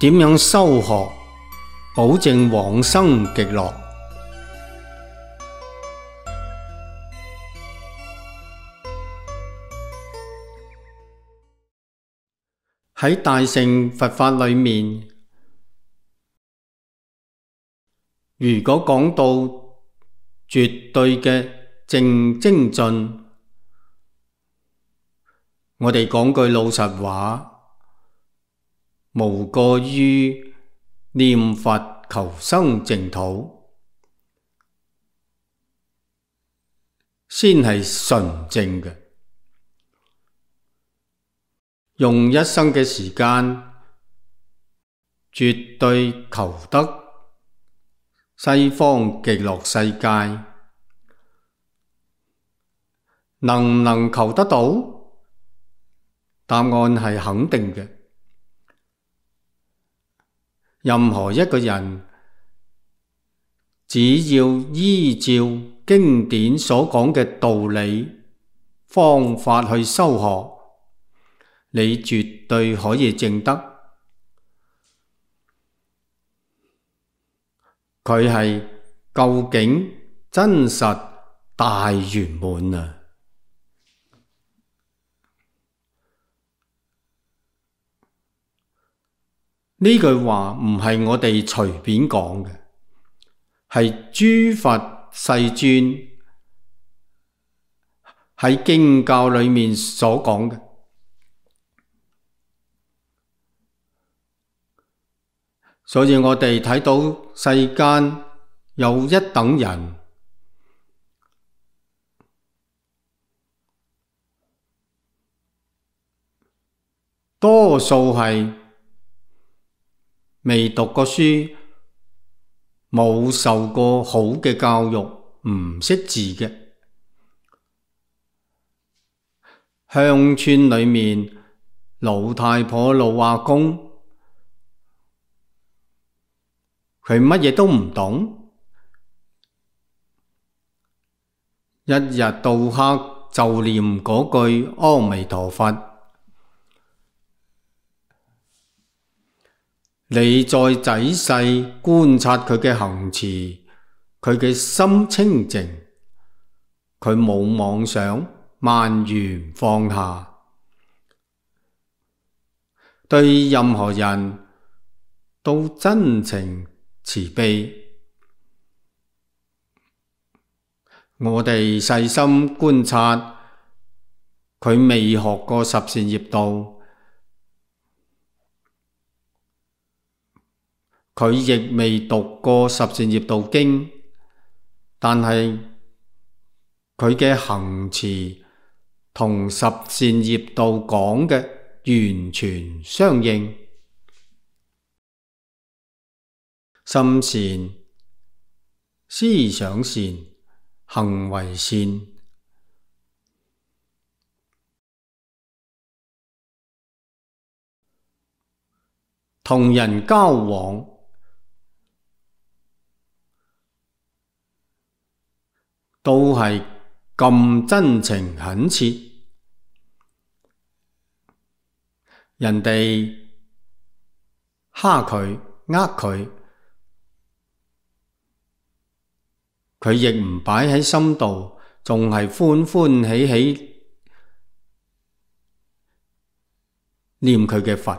點樣修學，保證往生極樂。喺大乘佛法裏面，如果講到絕對嘅正精進，我哋講句老實話，無過於念佛求生淨土，先係純正嘅。用一生嘅時間，絕對求得西方極樂世界，能唔能求得到？答案係肯定嘅。任何一個人，只要依照經典所講嘅道理、方法去修學，你絕對可以證得。佢係究竟真實大圓滿啊！呢句話唔係我哋隨便講嘅，係諸佛世尊喺經教裏面所講嘅。所以我哋睇到世間有一等人，多數係未讀過書，冇受過好嘅教育，唔識字嘅。鄉村裏面老太婆老阿公，佢乜嘢都唔懂，一日到黑就念嗰句阿彌陀佛。你再仔細觀察佢嘅行持，佢嘅心清淨，佢冇妄想，萬緣放下，對任何人都真情慈悲。我哋細心觀察，佢未學過十善業道，佢亦未讀過十善業道經，但係佢嘅行持同十善業道講嘅完全相應。心善、思想善、行為善，同人交往都係咁真情懇切。人哋蝦佢、佢，佢亦唔擺喺心度，仲係歡歡喜喜念佢嘅佛。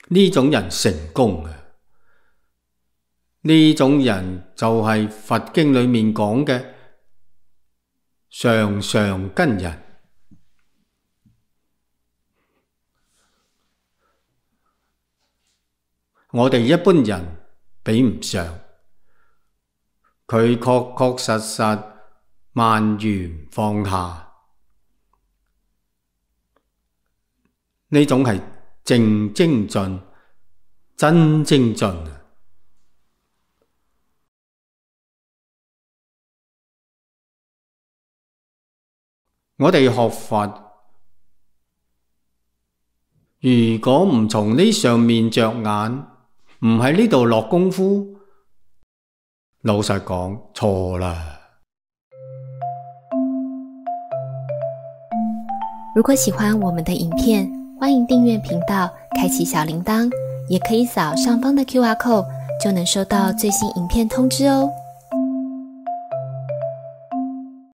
呢種人成功啊！呢種人就係佛經裏面講嘅上上根人。我哋一般人比唔上，佢確確實實萬緣放下，呢種係正精進，真精進。我哋學佛，如果唔從呢上面着眼，唔喺呢度落功夫，老實講，錯啦。如果喜歡我們的影片，歡迎訂閱頻道，開啟小鈴鐺，也可以扫上方的 QR code，就能收到最新影片通知哦。